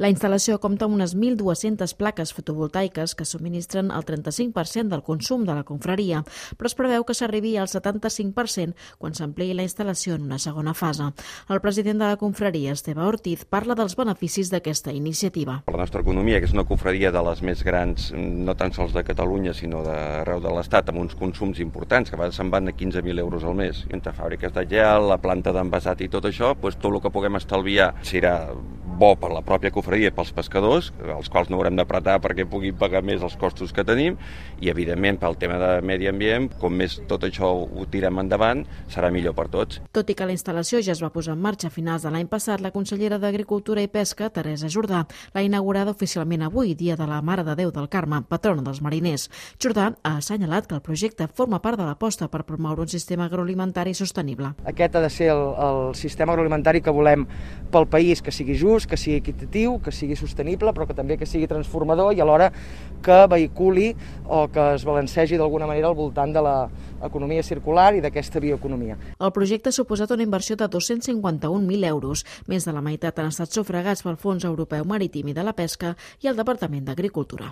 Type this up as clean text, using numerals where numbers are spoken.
La instal·lació compta amb unes 1.200 plaques fotovoltaiques que subministren el 35% del consum de la confraria, però es preveu que s'arribi al 75% quan s'ampliï la instal·lació en una segona fase. El president de la confraria, Esteve Ortiz, parla dels beneficis d'aquesta iniciativa. La nostra economia, que és una confraria de les més grans, no tan sols de Catalunya, sinó d'arreu de l'Estat, amb uns consums importants, que a vegades se'n van a 15.000 euros al mes. Entre fàbriques de gel, la planta d'envasat i tot això, tot el que puguem estalviar serà bo per la pròpia confraria i pels pescadors, els quals no haurem d'apretar perquè puguin pagar més els costos que tenim, i evidentment pel tema de medi ambient, com més tot això ho tirem endavant, serà millor per tots. Tot i que la instal·lació ja es va posar en marxa a finals de l'any passat, la consellera d'Agricultura i Pesca, Teresa Jordà, l'ha inaugurada oficialment avui, dia de la Mare de Déu del Carme, patrona dels mariners. Jordà ha assenyalat que el projecte forma part de l'aposta per promoure un sistema agroalimentari sostenible. Aquest ha de ser el sistema agroalimentari que volem pel país, que sigui just, que sigui equitatiu, que sigui sostenible, però que també que sigui transformador i alhora que vehiculi o que es balancegi d'alguna manera al voltant de l'economia circular i d'aquesta bioeconomia. El projecte ha suposat una inversió de 251.000 euros. Més de la meitat han estat sufragats pel Fons Europeu Marítim i de la Pesca i el Departament d'Agricultura.